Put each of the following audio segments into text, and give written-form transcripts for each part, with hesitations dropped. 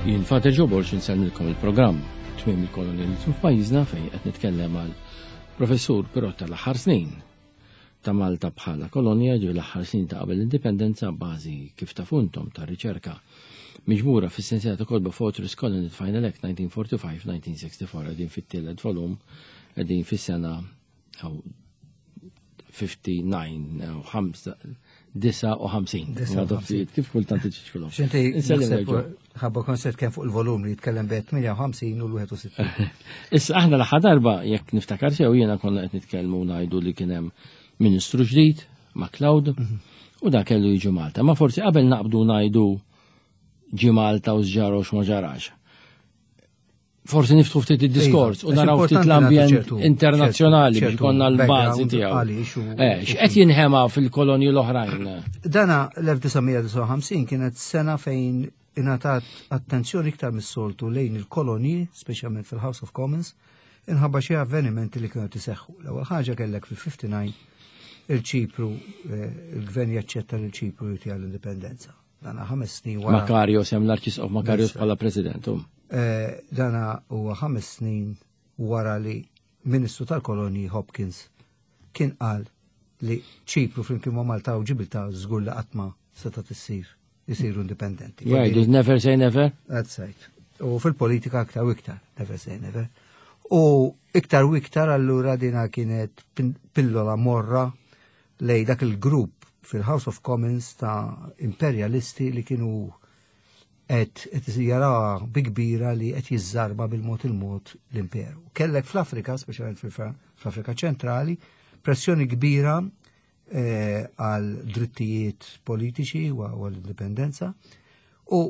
Jien Fater Joe Borg insellmilkom il-programm Tmiem il-Kolonializmu f'pajjiżna fejn qed nitkellem għal professur però tal-aħħar snin ta' Malta bħala kolonja ġi l-aħħar snin ta' qabel l-indipendenza bażi kif tafuntom ta' riċerka miġbura fis-sensiela ta' kotba Fortress Colony Final Act 1945-1964 qegħdin fit-tielet volum qegħdin fis-sena 59, 59. Kif kultant iċiċkulhom. Xinti, ħabba konsert kien fuq il-volum li jitkellem bejn 58 u l-61. Issa aħna l-aħħar darba jekk niftakar sew jiena konna qed nitkellmu ngħidu li kien hemm ministru ġdid MacLeod mhm. u da kellu jiġi Malta. Ma forsi qabel naqbdu ngħidu ġi Malta u x'ġara u x'ma ġarax. Forsi niftħu ftit id-diskors u naraw ftit l-ambjent internazzjonali biex konna l-bażi tiegħu. Eh, x'qed jinħema fil-kolonji l-oħrajn? Dana l-1959 kienet sena fejn ingħatat attenzjoni iktar mis-soltu lejn il-kolonji, speċjalment fil-House of Commons, inħabba xi avvenimenti li kienu tiseħħu. L-ewwel ħaġa kellek fil-59 il-Ċipru, eh, il-gvern jaċċetta lil ċipru jtiha l-indipendenza. Dana ħames snin wara. Makarios hemm l-Arċisqof Makarios bħala president. Eh, dana huwa ħames snin wara li Ministru tal-Kolonji Hopkins kien qal li ċipru flimkien ma' Malta u Ġibilta żgur li qatt ma seta' tissir isiru indipendenti. Yeah, never say never. That's right. U fil-politika aktar u iktar, never say never. U iktar u iktar allura dina kienet pillola morra lej dak il-grupp fil-House of Commons ta' imperjalisti li kienu qed qed jaraw bi kbira li qed jiżżarba bil-mod il-mod l-imperu. Kellek fl-Afrika, speċjalment fl-Afrika ċentrali, pressjoni kbira eh, għal drittijiet politiċi u għall-indipendenza u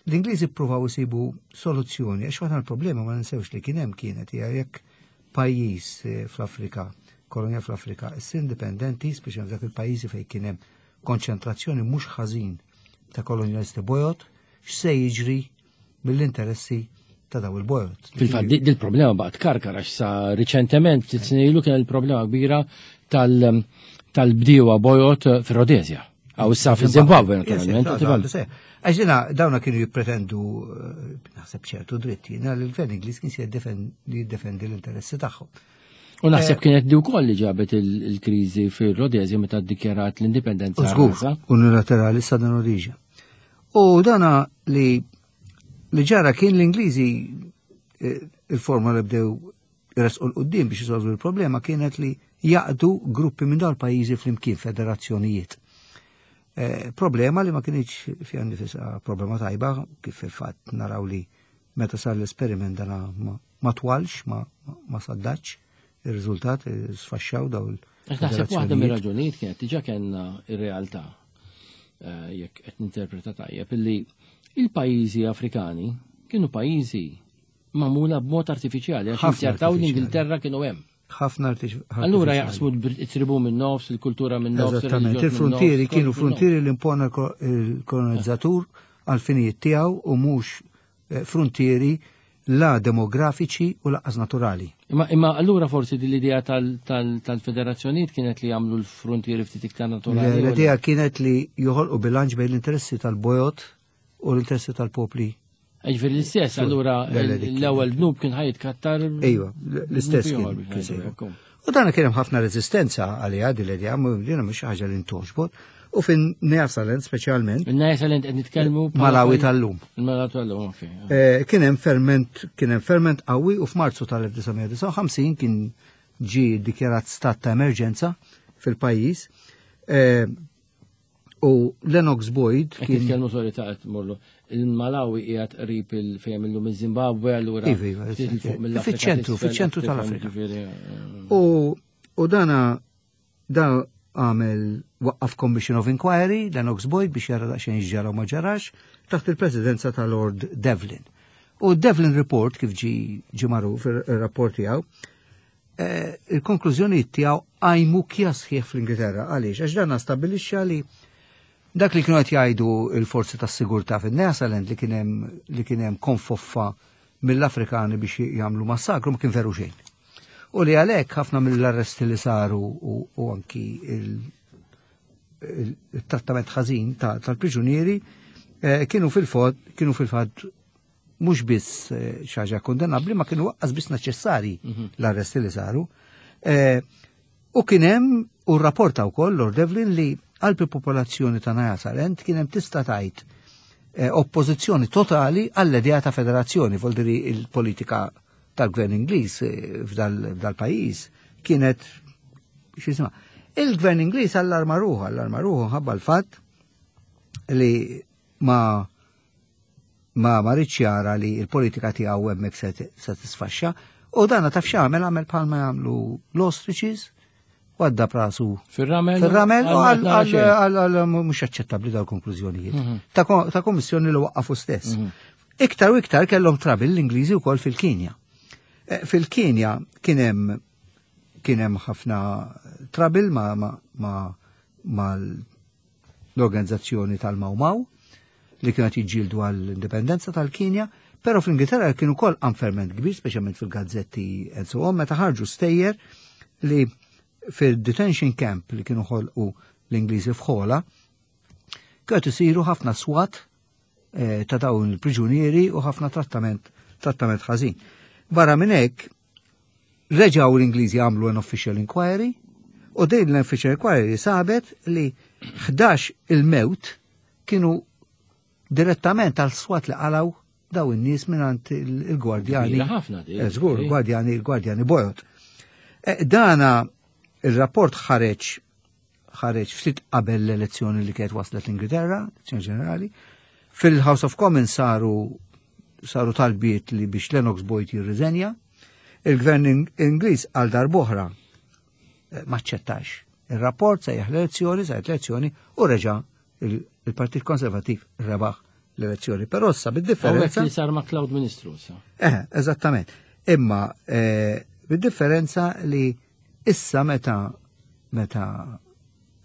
L-Ingliżi ppruvaw isibu soluzzjoni għax waħda l-problema ma ninsewx li kien hemm kienet hija jekk pajjiż eh, fl-Afrika, kolonja fl-Afrika, issir indipendenti, speċjalment dak il-pajjiżi fejn kien hemm konċentrazzjoni mhux ħażin ta' kolonjalisti bojod, x'se jiġri mill-interessi ta' daw il-bojod. Fil-fatt, dil-problema baqgħet karkar għax sa riċentement ftit snin ilu kien il-problema kbira tal-bdiewa bojod fir-Rodezja. Għaw issa fil-Zimbabwe, naturalment. Għax dina dawna kienu jippretendu eh, naħseb ċertu dritti, jiena li l-gvern Ingliż kien se jiddefendi l-interessi tagħhom. U naħseb eh, kienet di wkoll li ġabet il-kriżi fir-Rodezja meta ddikjarat l-indipendenza. Żgur, unilaterali sa dan oriġa. U dana li li ġara kien l-Ingliżi eh, il-forma li bdew jresqu l-qoddim biex jisolvu l-problema kienet li jaqdu gruppi minn dawn pajjiżi flimkien federazzjonijiet. Eh, problema li ma kienx fiha nifisha problema tajba kif fil-fatt naraw li meta sar l-esperiment dana ma twalx, ma, ma saddaċ il-riżultat eh, sfaxxaw daw il- Naħseb waħda mir-raġunijiet kienet diġà kellna ir-realtà eh, jekk qed ninterpreta tajjeb illi il-pajjiżi Afrikani kienu pajjiżi magħmula b'mod artifiċjali għax inzertaw l-Ingilterra kienu hemm. Ħafna artifiċjali. Allura jaqsmu it-tribu minn nofs, il-kultura minn nofs. Eżattament, il-frontieri kienu frontieri li impona il-kolonizzatur għal finijiet tiegħu u mhux eh, frontieri la demografiċi u laqqas naturali. Imma, imma allura forsi din l-idea tal-federazzjonijiet kienet li jagħmlu l-frontieri ftit iktar naturali. L-idea kienet li joħolqu bilanċ bejn l-interessi tal-bojot u l-interessi tal-popli. Ġifieri l-istess, allura l-ewwel dnub kien ħaj jitkattar. Ejwa, l-istess kien. U dan kien hemm ħafna reżistenza għaliha din l-idea, din mhux ħaġa li ntoġbot. U fin Nea-Salent speċjalment. Nea-Salent qed nitkellmu Malawi tal-lum. Malawi tal-lum, ok. Eh, kien hemm ferment, kien hemm ferment qawwi u f'Marzu tal-1959 kien ġi dikjarat stat ta' emerġenza fil-pajjiż. Eh, U Lennox Boyd kien. Nitkellmu sorry ta' qed morru. Il-Malawi qiegħed qrib il-fejn illum iż-Zimbabwe allura. Iva, iva, fiċ-ċentru, fiċ-ċentru tal-Afrika. Eh. U u dana da għamel waqqaf Commission of Inquiry Lennox Boyd biex jara daqsxejn x'ġara u ma ġarax taħt il-presidenza ta' Lord Devlin. U Devlin Report kif ġi ġi magħruf ir-rapport tiegħu Eh, il-konklużjonijiet tiegħu qajmu kja sħiħ fl-Ingilterra. Għaliex? Għax dan stabbilixxa li dak li kienu qed jgħidu il-forzi tas-sigurtà fin-Nyasaland li kien hemm li kien hemm konfoffa mill-Afrikani biex jagħmlu massakru ma kien veru xejn. U li għalhekk ħafna mill-arresti li saru u anki il-trattament ħażin tal-priġunieri eh, kienu fil-fatt kienu fil-fatt mhux biss eh, xi ħaġa kondennabbli ma kienu waqqas biss neċessarji mhm. l-arresti li saru. Eh, u kien hemm u rrapporta wkoll Lord Devlin li qalb il-popolazzjoni ta' Nyasaland kien hemm tista' tgħid eh, oppożizzjoni totali għall-idea ta' federazzjoni, voldiri il-politika tal-gvern Ingliż f'dal-pajjiż kienet x'isma. Il-gvern Ingliż allarma ruħu, allarma ruħu ħabba l-fatt li ma ma ma ridx jara li l-politika tiegħu hemmhekk se tisfaxxa u dana taf x'għamel għamel bħalma jagħmlu l-ostriches għadda prasu fir-ramel fir-ramel u għal mhux aċċettabbli daw konklużjonijiet mhm. ta' kommissjoni li waqqafu stess. Mhm. Iktar u iktar kellhom trabil l-Ingliżi wkoll fil-Kenja. Eh, fil-Kenja kien hemm kien hemm ħafna trabil ma, ma, ma, ma l-organizzazzjoni tal-Mau Mau li kienet jiġġieldu għall-indipendenza tal-Kenja, però fl-Ingilterra kien ukoll anferment kbir, speċjalment fil-gazzetti and so on, meta ħarġu stejjer li fil-detention camp li kienu ħolqu l-Ingliżi f'Ħola, kienet isiru ħafna swat eh, ta' dawn il-priġunieri u ħafna trattament trattament ħażin. Barra minn hekk, Reġgħu l-Ingliżi għamlu an official inquiry u din l-official inquiry sabet li 11 il-mewt kienu direttament għal swat li qalaw daw in-nies mingħand il-gwardjani. ħafna di. Eh, żgur, gwardjani, il-gwardjani bojod. Eh, dana il-rapport ħareġ ħareġ ftit qabel l-elezzjoni li kienet waslet l-Ingilterra, elezzjoni ġenerali. Fil-House of Commons saru saru talbiet li biex Lennox Boyd jirriżenja. Il-gvern Ingliż għal darboħra eh, maċċettax. Il-rapport sejjaħ l-elezzjoni, sejjaħ l-elezzjoni u reġa' il-Partit Konservativ rebaħ l-elezzjoni. Però issa bid-differenza. li sar ma' Cloud Ministru sa. Eh, eżattament. Imma eh, bid-differenza li Issa meta meta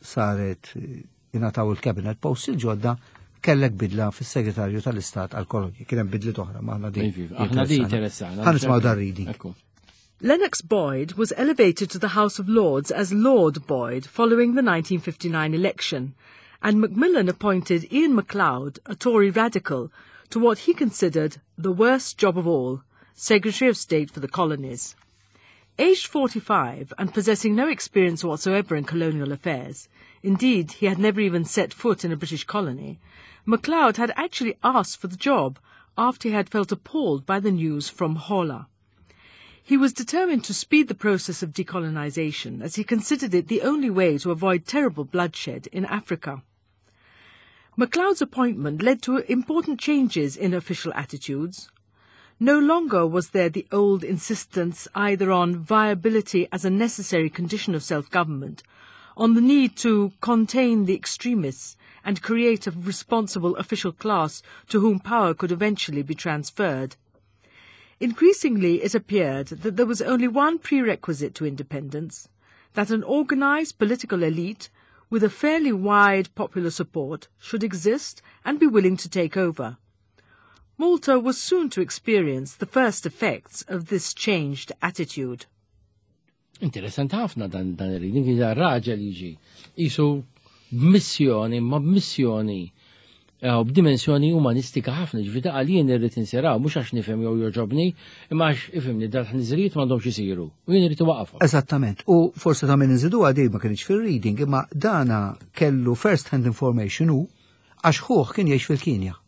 saret ingħataw il-cabinet post il-ġodda kellek bidla fis-segretarju tal-Istat għal-kolonji. Kien hemm bidliet oħra ma aħna din. Aħna din interessana. Ħa nismgħu dar reading. Lennox Boyd was elevated to the House of Lords as Lord Boyd following the 1959 election, and Macmillan appointed Ian MacLeod, a Tory radical, to what he considered the worst job of all, Secretary of State for the Colonies. Aged 45 and possessing no experience whatsoever in colonial affairs, indeed he had never even set foot in a British colony, MacLeod had actually asked for the job after he had felt appalled by the news from Hola. He was determined to speed the process of decolonization as he considered it the only way to avoid terrible bloodshed in Africa. MacLeod's appointment led to important changes in official attitudes. No longer was there the old insistence either on viability as a necessary condition of self-government, on the need to contain the extremists and create a responsible official class to whom power could eventually be transferred. Increasingly it appeared that there was only one prerequisite to independence, that an organized political elite with a fairly wide popular support should exist and be willing to take over. Malta was soon to experience the first effects of this changed attitude. Interessanti ħafna dan dan ir-reading, raġel jiġi jisu b'missjoni, ma b'missjoni eh, u b'dimensjoni umanistika ħafna, ġifieri ta' jien irrid insiraw, mhux għax nifhem jew joġobni, imma għax ifhimni dal-ħniżrijiet m'għandhomx isiru u jien irrid iwaqafhom. Eżattament. U forse ta' min inżidu għadi ma kienx fil-reading, imma dana kellu first hand information u għax ħuh kien jgħix fil-Kinja.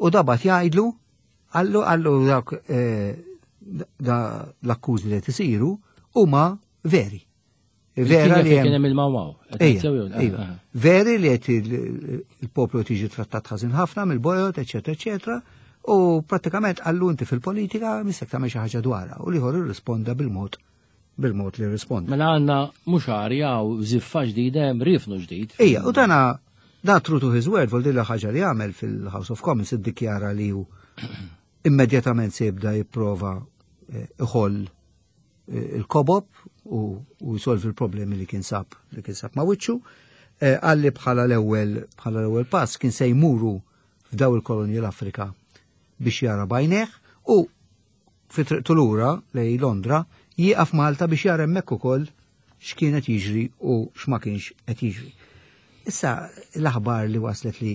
U dabat jgħidlu, għallu għallu dak eh, da l-akkużi li qed isiru huma veri. Vera li kien hemm il-mawaw. Iva. Veri li qed il-poplu tiġi trattat ħażin ħafna mill-bojot, eċetera, eċetera, u prattikament għallu inti fil-politika misek tagħmel xi ħaġa dwarha u liħor irrisponda bil-mod bil-mod li risponda. Mela għandna mhux arja u żiffa ġdida hemm rifnu ġdid. Ija, u dana da true to his word, vol dilla ħaġa li għamel fil-House of Commons iddikjara li hu immedjatament se jibda jipprova eh, iħoll eh, il-kobob u jsolvi l-problemi li kien sab li kien sab ma' wiċċu. Eh, għalli bħala l-ewwel bħala l-ewwel pass kien se jmuru f'daw il-kolonji l-Afrika biex jara bajneħ u Fi triqtu lura lejn Londra, jieqaf Malta biex jara hemmhekk ukoll x'kien qed jiġri u x'ma kienx qed jiġri. Issa l-aħbar li waslet li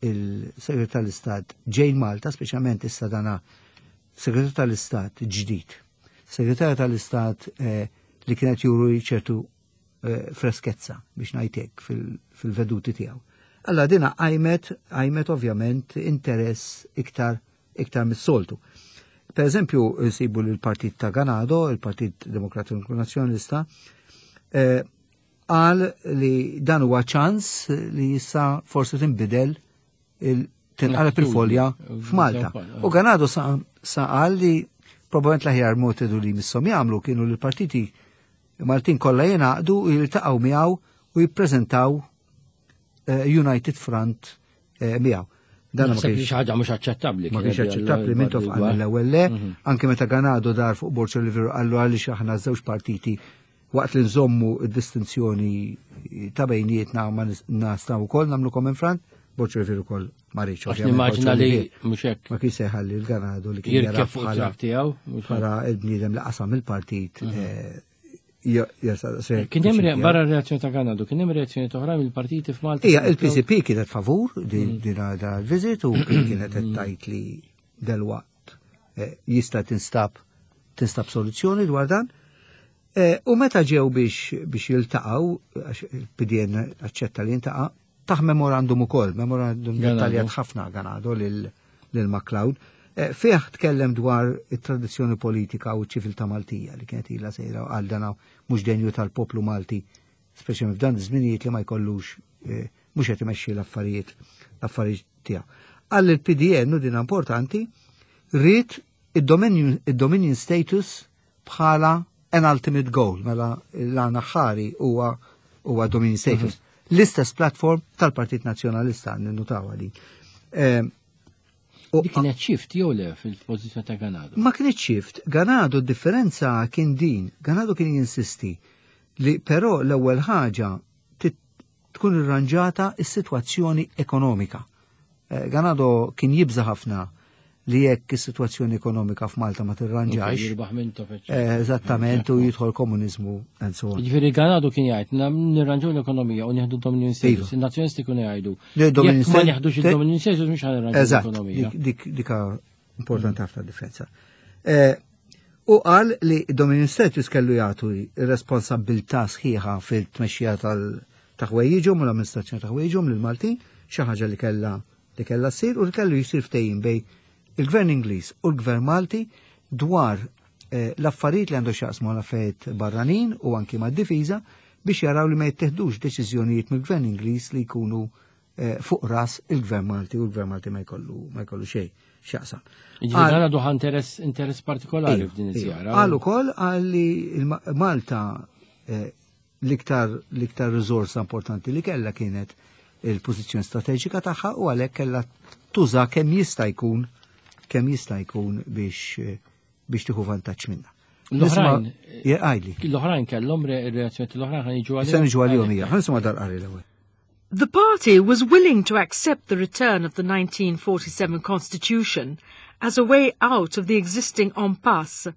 Il-Segretarju tal-Istat ġej Malta, speċjalment issa dana Segretarju tal-Istat ġdid. Segretarju tal-Istat li kienet juru ċertu freskezza biex ngħidlek fil-veduti tiegħu. Alla dina qajmet ovvjament interess iktar mis-soltu. Per eżempju, sibu l-partit ta' Ganado, il-Partit Demokratiku Nazzjonalista, qal li dan huwa ċans li issa forsi tinbidel, tinqaleb il-folja f'Malta. U Ganado sa qal li probabbilment l-aħjar metodu li misshom jagħmlu kienu li l-partiti Maltin kollha jingħaqdu u jiltaqgħu miegħu u jippreżentaw United Front miegħu. Dan ma kienx ħaġa mhux aċċettabbli. Ma kienx aċċettabbli. Mintoff qal l-ewwel le, anke meta Ganado dar fuq Borg Olivier qallu għaliex aħna żewġ partiti waqt li nżommu d-distinzjoni ta' bejnietna ma nistgħu wkoll nagħmlu common front, Borg Olivier ukoll ma riedx. Għax nimmaġina li mhux hekk. Ma kienx se jħalli l-Ganado li kien jirkeb fuq it-trakk tiegħu. Bħala il-bniedem li qasam il-partit. Kien hemm barra reazzjoni ta' Ganado, kien hemm reazzjoni oħra mill-partiti f'Malta? Ija, il-PCP kienet favur din il-visit u kienet qed tgħid li delwaqt jista' tinstab soluzzjoni dwar dan. U meta ġew biex jiltaqgħu, għax il-PDN aċċetta li jintaqa', taħ memorandum ukoll, memorandum dettaljat ħafna Ganado lil MacLeod. Fih tkellem dwar it-tradizzjoni politika u ċ-ċiviltà Maltija li kienet ilha sejra, għal dana mhux denju tal-poplu Malti, speċjalment f'dan iż-żminijiet li ma jkollux mhux qed imexxi l-affarijiet tiegħu. Għal il-PDN, u din importanti, ried id-dominion status bħala an ultimate goal, mela l-għan aħħari huwa dominion status. L-istess platform tal-Partit Nazzjonalista, ninnutaw din. Dik kienet shift jew le fil-pożizzjoni ta' Ganado? Ma kienet shift. Ganado differenza kien din. Ganado kien jinsisti li però l-ewwel ħaġa tkun irranġata is-sitwazzjoni ekonomika. Ganado kien jibża ħafna li jekk is-sitwazzjoni ekonomika f'Malta ma tirranġax. Jirbaħ Mintoff. Eżattament, u jidħol komuniżmu and so on. Ġifieri Ganado kien jgħid nirranġaw l-ekonomija u nieħdu dominion status. Il-nazzjonisti kienu jgħidu, Le, dominion jekk ma nieħdux il-dominion status mhux ħa nirranġaw l-ekonomija. Dika importanti ħafna differenza. U qal li dominion status kellu jagħtu responsabilità sħiħa fil-tmexxija ta' ħwejjiġhom u l-amministrazzjoni ta' ħwejjiġhom lil Maltin, xi ħaġa li kellha ssir u li kellu jsir ftehim bejn il-Gvern Ingliż u l-Gvern Malti dwar l-affarijiet li għandu x'jaqsmu l-affarijiet barranin u anki mad-difiża biex jaraw li ma jittieħdux deċiżjonijiet mill-Gvern Ingliż li jkunu fuq ras il-Gvern Malti u l-Gvern Malti ma jkollu xejn x'jaqsam. Ġifieri Ganado ħa interess partikolari f'din iż-żjara. Qal ukoll qal li Malta l-iktar riżorsa importanti li kellha kienet il-pożizzjoni strateġika tagħha u għalhekk kellha tuża kemm jista' jkun biex tieħu vantaġġ minnha. L-oħrajn, Għajli. L-oħrajn kellhom reazzjoni, l-oħrajn ħa niġu għalihom. Se niġu għalihom hija. Ħa nisimgħu dal-qari l-ewwel. The party was willing to accept the return of the 1947 Constitution as a way out of the existing impasse,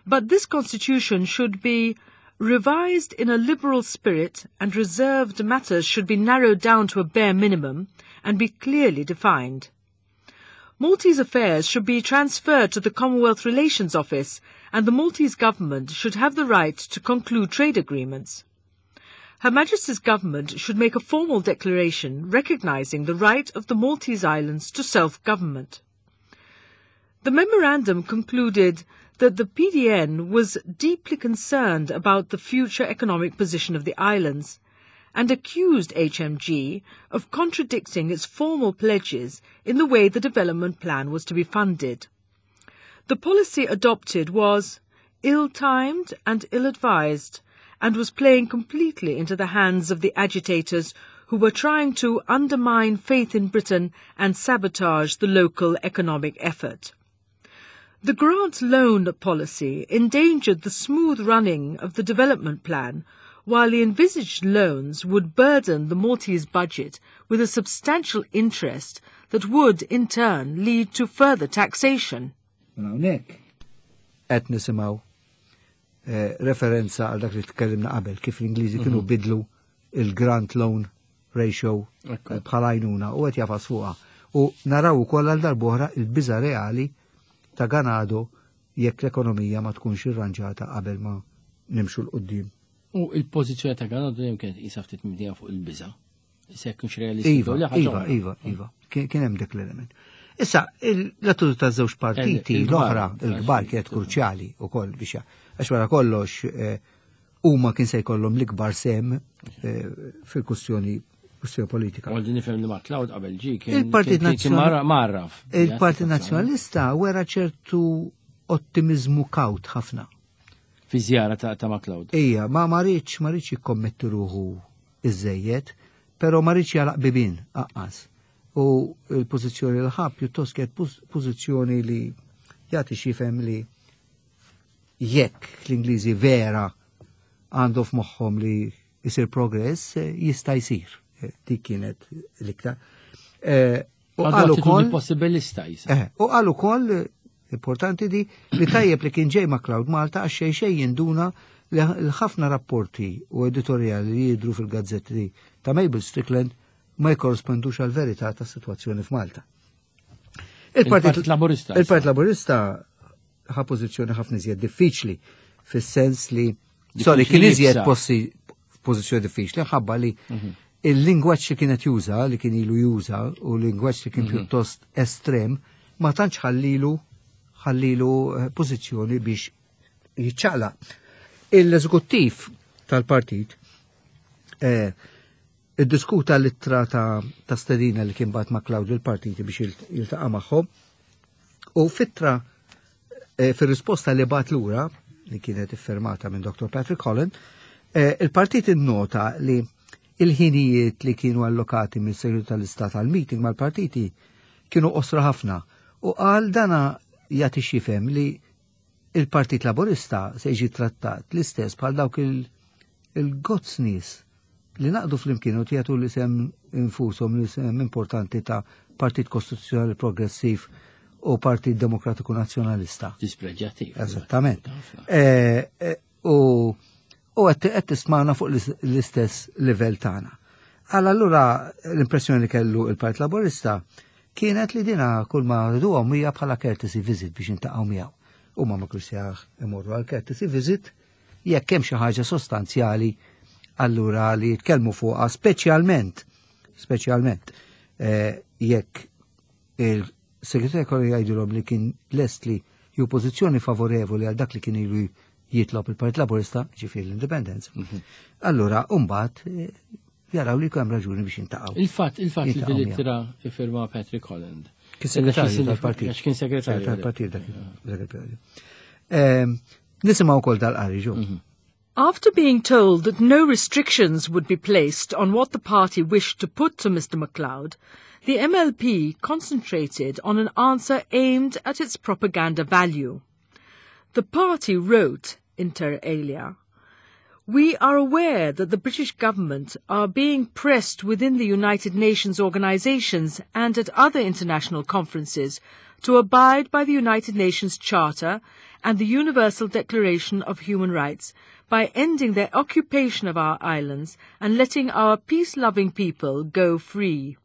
but this constitution should be revised in a liberal spirit and reserved matters should be narrowed down to a bare minimum and be clearly defined. Maltese affairs should be transferred to the Commonwealth Relations Office and the Maltese government should have the right to conclude trade agreements. Her Majesty's government should make a formal declaration recognising the right of the Maltese Islands to self-government. The memorandum concluded that the PDN was deeply concerned about the future economic position of the islands and accused HMG of contradicting its formal pledges in the way the development plan was to be funded. The policy adopted was ill-timed and ill-advised and was playing completely into the hands of the agitators who were trying to undermine faith in Britain and sabotage the local economic effort. The grant loan policy endangered the smooth running of the development plan, while the envisaged loans would burden the Maltese budget with a substantial interest that would, in turn, lead to further taxation. Mela hawnhekk qed nisimgħu referenza għal dak li tkellimna qabel kif l-Ingliżi kienu bidlu il-grant loan. ratio bħala għajnuna u qed jafas fuqha. U naraw ukoll għal darb'oħra il-biża reali ta' Ganado jekk l-ekonomija ma tkunx irranġata qabel ma nimxu 'l quddiem. U il-pożizzjoni ta' Ganado dejjem kienet qisha ftit mibnija fuq il-biża'. Issa jekk mhux realistiku. Iva, iva, iva, iva. Kien hemm dik l-element. Issa, l-attitudni ta' żewġ partiti l-oħra, il-kbar kienet kruċjali wkoll biex għax wara kollox eh, huma kien se jkollhom l-ikbar sem eh, fil-kustjoni kustjoni politika. Għaldi nifhem li McLeod qabel ġi kien Il-Partit Nazzjonalista marraf. Il-Partit Nazzjonalista wera ċertu ottimizmu kawt ħafna. Fi żjara ta' ta' McLeod. Ija, ma marriċ, marriċ jikkommetti ruħu iżejjed, pero marriċ jalaq bibin, aqqas. U l-pożizzjoni l-ħab pjuttost kienet pożizzjoni li jagħti xifhem li jekk l-Ingliżi vera għandu f'moħħhom li jisir progress, eh, jista' jsir. Eh, dik kienet l-iktar. Eh, u qal ukoll possibilista jisa. U qal ukoll importanti di li tajjeb li kien ġej ma' Cloud Malta għax xejn xejn jinduna li ħafna rapporti u editorjali li jidru fil-gazzetti ta' Mabel Strickland ma jkorrispondux għal verità ta' situazzjoni f'Malta. Il-Partit Laburista. Il-Partit Laburista ħa pożizzjoni ħafna iżjed diffiċli fis-sens li sorry kien iżjed possi pożizzjoni diffiċli ħabba li mhm. il-lingwaġġ li kienet juża, li kien ilu juża u l-lingwaġġ li kien mhm. pjuttost estrem, ma tantx ħallilu ħallilu eh, pożizzjoni biex jiċċaqla. Il-eżekuttiv tal-partit eh, iddiskuta l-ittra ta', ta stedina li kien bat ma' Claudio l-partiti biex jiltaqa' magħhom u fittra eh, fir-risposta li bat lura li kienet iffirmata minn Dr. Patrick Holland, eh, il-partit innota li il-ħinijiet li kienu allokati mill-Segretarju tal-Istat għal-meeting mal-partiti kienu qosra ħafna u qal dana jagħti xifhem li il-Partit Laburista se jiġi trattat l-istess bħal dawk il-gozz nies li naqdu flimkien u jagħtu l-isem infushom l-isem importanti ta' Partit Kostituzzjonali Progressiv u Partit Demokratiku Nazzjonalista. Dispreġjattiv. Eżattament. Eh, eh, u u qed tismana fuq l-istess livell tagħna. Għal allura l-impressjoni li kellu il-Partit Laburista kienet li dina kull ma rriduhom hija bħala courtesy visit biex intaqgħu miegħu. Huma ma kienx imorru għal courtesy visit jekk hemm xi ħaġa sostanzjali allura li jitkellmu fuqha speċjalment speċjalment eh, jekk il-segretarju kollu jgħidilhom li kien lest li ju pożizzjoni favorevoli għal dak li kien ilu jitlob il-Partit Laburista, ġifieri l-Indipendenza. Mhm. Allura, mbagħad eh, jaraw li hemm raġuni biex jintaqgħu. Il-fatt il-fatt li dil-ittra iffirma Patrick Holland. Kien segretarju tal-partit. Kien segretarju tal-partit dak il-periodu. Ehm, nisimgħu wkoll dal-qari ġo. Mhm. After being told that no restrictions would be placed on what the party wished to put to Mr. MacLeod, the MLP concentrated on an answer aimed at its propaganda value. The party wrote, inter alia, We are aware that the British government are being pressed within the United Nations organizations and at other international conferences to abide by the United Nations Charter and the Universal Declaration of Human Rights by ending their occupation of our islands and letting our peace-loving people go free.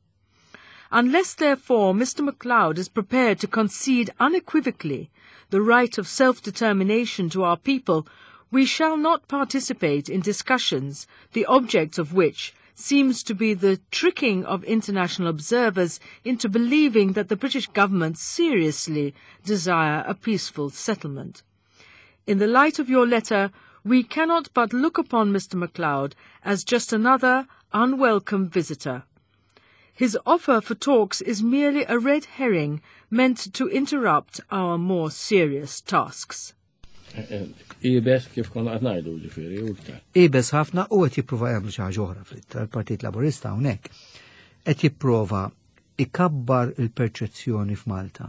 Unless, therefore, Mr. MacLeod is prepared to concede unequivocally the right of self-determination to our people, we shall not participate in discussions, the object of which seems to be the tricking of international observers into believing that the British government seriously desire a peaceful settlement. In the light of your letter, we cannot but look upon Mr. MacLeod as just another unwelcome visitor. His offer for talks is merely a red herring meant to interrupt our more serious tasks. Ibes kif konna qed ngħidu ġifieri u iktar. Ibes ħafna u qed jipprova jagħmlu xi ħaġa oħra fl-ittra l-Partit Laburista hawnhekk qed jipprova ikabbar il-perċezzjoni f'Malta.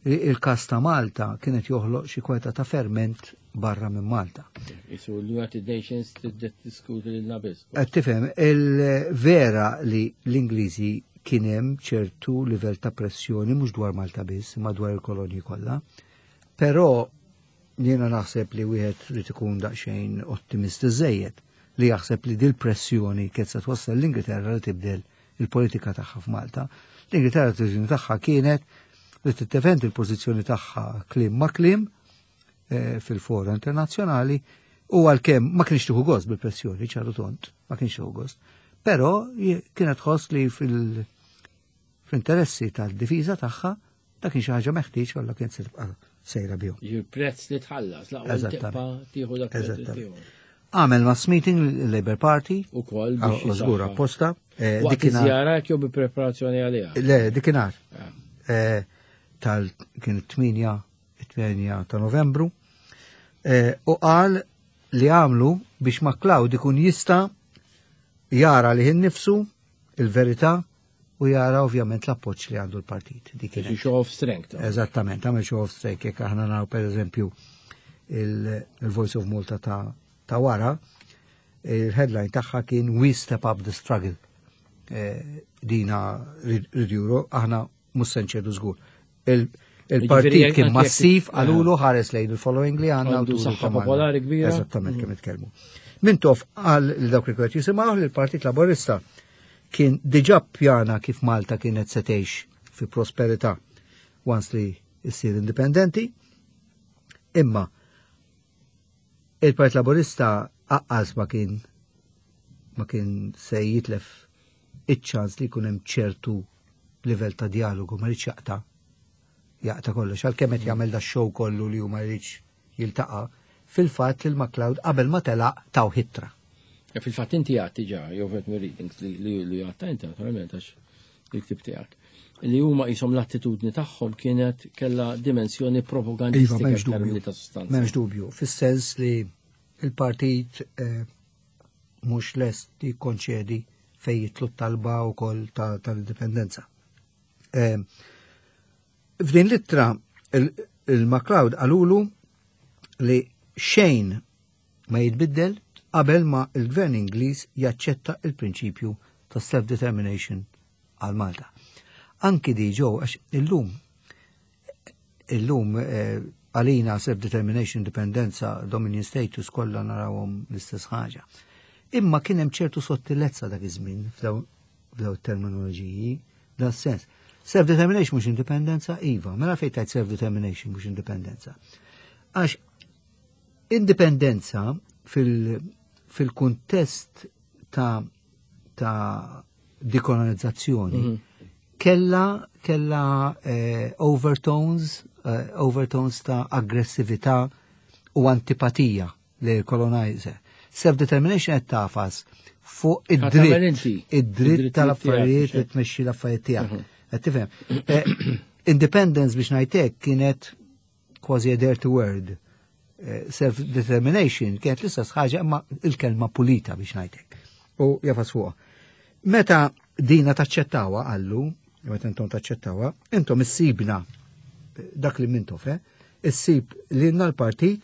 Il-każ ta' Malta kienet joħloq xi kweta ta' ferment barra minn Malta. Isu l-United Nations tiddiskuti lil biss. Qed tifhem il-vera li l-Ingliżi kien hemm ċertu livell ta' pressjoni mhux dwar Malta biss, imma dwar il-kolonji kollha. Però jiena naħseb li wieħed rid ikun daqsxejn ottimist iżejjed. li jaħseb li dil-pressjoni kienet se twassal l-Ingilterra li tibdel il-politika tagħha f'Malta. L-Ingilterra t tagħha kienet li tiddefendi l-pożizzjoni tagħha kliem ma' kliem fil-fora internazzjonali u għalkemm ma kienx tieħu gost bil-pressjoni ċaru tont, ma kienx tieħu gost. Però kienet tħoss li fil-interessi tal-difiża tagħha dak kien xi ħaġa meħtieġ għalla kienet se tibqa' sejra bihom. Prezz li tħallas, laqwa tibqa' tieħu dak Għamel mass meeting l-Labour Party. U kol biex. Żgur apposta. Dikinhar. Żjara jew bi preparazzjoni għaliha? Le, dikinhar. Tal kien 8 ta' Novembru. U qal li għamlu biex MacLeod ikun jista' jara li nifsu il-verità u jara ovvjament l-appoġġ li għandu l-partit. Dik show of strength. Eżattament, għamel show of strength jekk aħna naraw per eżempju il-Voice of Malta ta' wara, il-headline tagħha kien We Step Up the Struggle. Dina ridjuru, aħna mhux se nċedu żgur. Il-partit kien massiv għalulu ħares lejn il-following li għandna. Għandu saħħa popolari kbira. Eżattament kemm itkellmu. Mintoff qal li dawk li kienet jisimgħu li l-Partit Laborista kien diġà pjana kif Malta kienet se tgħix fi prosperità once li issir indipendenti. Imma il-Partit Laborista aqqas ma kien se jitlef iċ-ċans li jkun hemm ċertu livell ta' dialogu, ma rridx jaqta' kollox, għalkemm qed jagħmel da show kollu li huma jridx jiltaqa', fil-fatt li l-MacLeod qabel ma telaq taw ittra. Fil-fatt inti għedt diġà, jew fet readings li għedtha inti naturalment għax il-ktib tiegħek. Li huma jisom l-attitudni tagħhom kienet kella dimensjoni propagandistika Iva, iktar milli ta' sostanza. M'hemmx dubju, fis-sens li il-partit mhux lest jikkonċedi fej jitlu talba wkoll tal-indipendenza. F'din l-ittra il-MacLeod qalulu li xejn ma jitbiddel qabel ma il-gvern Ingliż jaċċetta il-prinċipju ta' self-determination għal Malta. Anki di ġew, għax illum għalina self-determination, indipendenza, dominion status kollha narawhom l-istess ħaġa. Imma kien hemm ċertu sottilezza dak iż-żmien f'daw terminoloġiji, dan sens. Self-determination mhux indipendenza, iva, mela fejn tajt self-determination mhux indipendenza. Għax indipendenza fil-kuntest ta' dekolonizzazzjoni kella overtones ta' aggressività u antipatija li colonizer. Self-determination qed tagħfas fuq id-dritt tal-affarijiet li tmexxi l-affarijiet tiegħek. Qed tifhem? Independence biex ngħidlek kienet kważi a dirty word. Self-determination kienet l-istess ħaġa imma il-kelma pulita biex ngħidlek. U jagħfas fuqha. Meta dina taċċettawa għallu, meta intom taċċettawa, intom issibna dak li Mintoff, issib li l-partit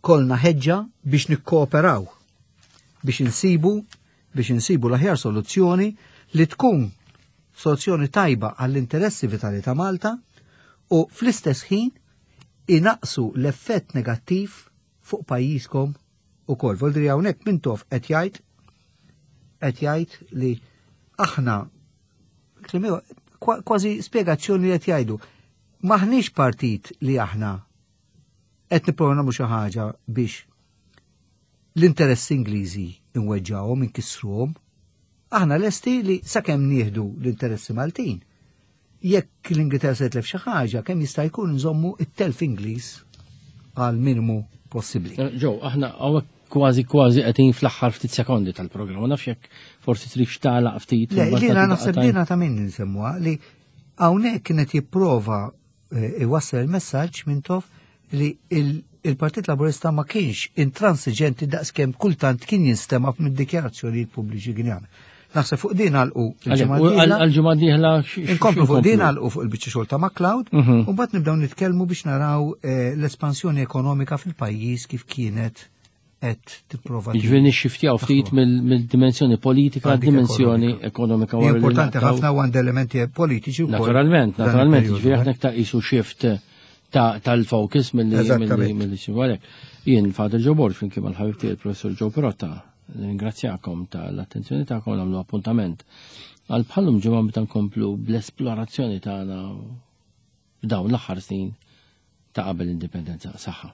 kolna ħeġġa biex nikkooperaw biex insibu l-aħjar soluzzjoni li tkun soluzzjoni tajba għall-interessi vitali ta' Malta u fl-istess ħin inaqsu l-effett negattiv fuq pajjiżkom ukoll. Voldiri hawnhekk Mintoff qed jgħid li aħna kważi spjegazzjoni li qed jgħidu maħniex partit li aħna qed nipprova nagħmlu xi ħaġa biex l-interessi Ingliżi inweġġawhom, inkissruhom. Aħna lesti li sakemm nieħdu l-interessi Maltin. Jekk l-Ingilterra se tlef xi ħaġa, kemm jista' jkun nżommu it-telf Ingliż għal minimu possibbli. Ġew, aħna hawnhekk kważi kważi qegħdin fl-aħħar ftit sekondi tal-programm. Ma nafx jekk forsi trid tagħlaq ftit. Le, jiena naħseb dina ta' min nsemmuha li hawnhekk kienet jipprova iwassal il-messaġġ Mintoff li il-Partit Laburista ma kienx intransiġenti daqskemm kultant kien jinstema' mid-dikjarazzjonijiet pubbliċi kien jagħmel. Naħseb fuq din għalqu il-ġimgħa dieħla. Inkomplu fuq din għalqu fuq il-biċċa xogħol ta' MacLeod u mbagħad nibdew nitkellmu biex naraw l-espansjoni ekonomika fil-pajjiż kif kienet qed tipprova. Jiġifieri nixxiftjaw ftit mill-dimensjoni politika għad-dimensjoni ekonomika. Importanti ħafna u għand elementi politiċi wkoll. Naturalment, naturalment, jiġifieri aħna ta' qisu shift. Tal-focus milli milli xi Jien Father Joe Borg flimkien mal-ħabib tiegħi il-Professur Joe Pirotta, ringrazzjakom tal-attenzjoni tagħkom nagħmlu appuntament għal bħalum ġimgħa meta nkomplu bl-esplorazzjoni tagħna f'dawn l-aħħar snin ta' qabel l-indipendenza. Saħħa.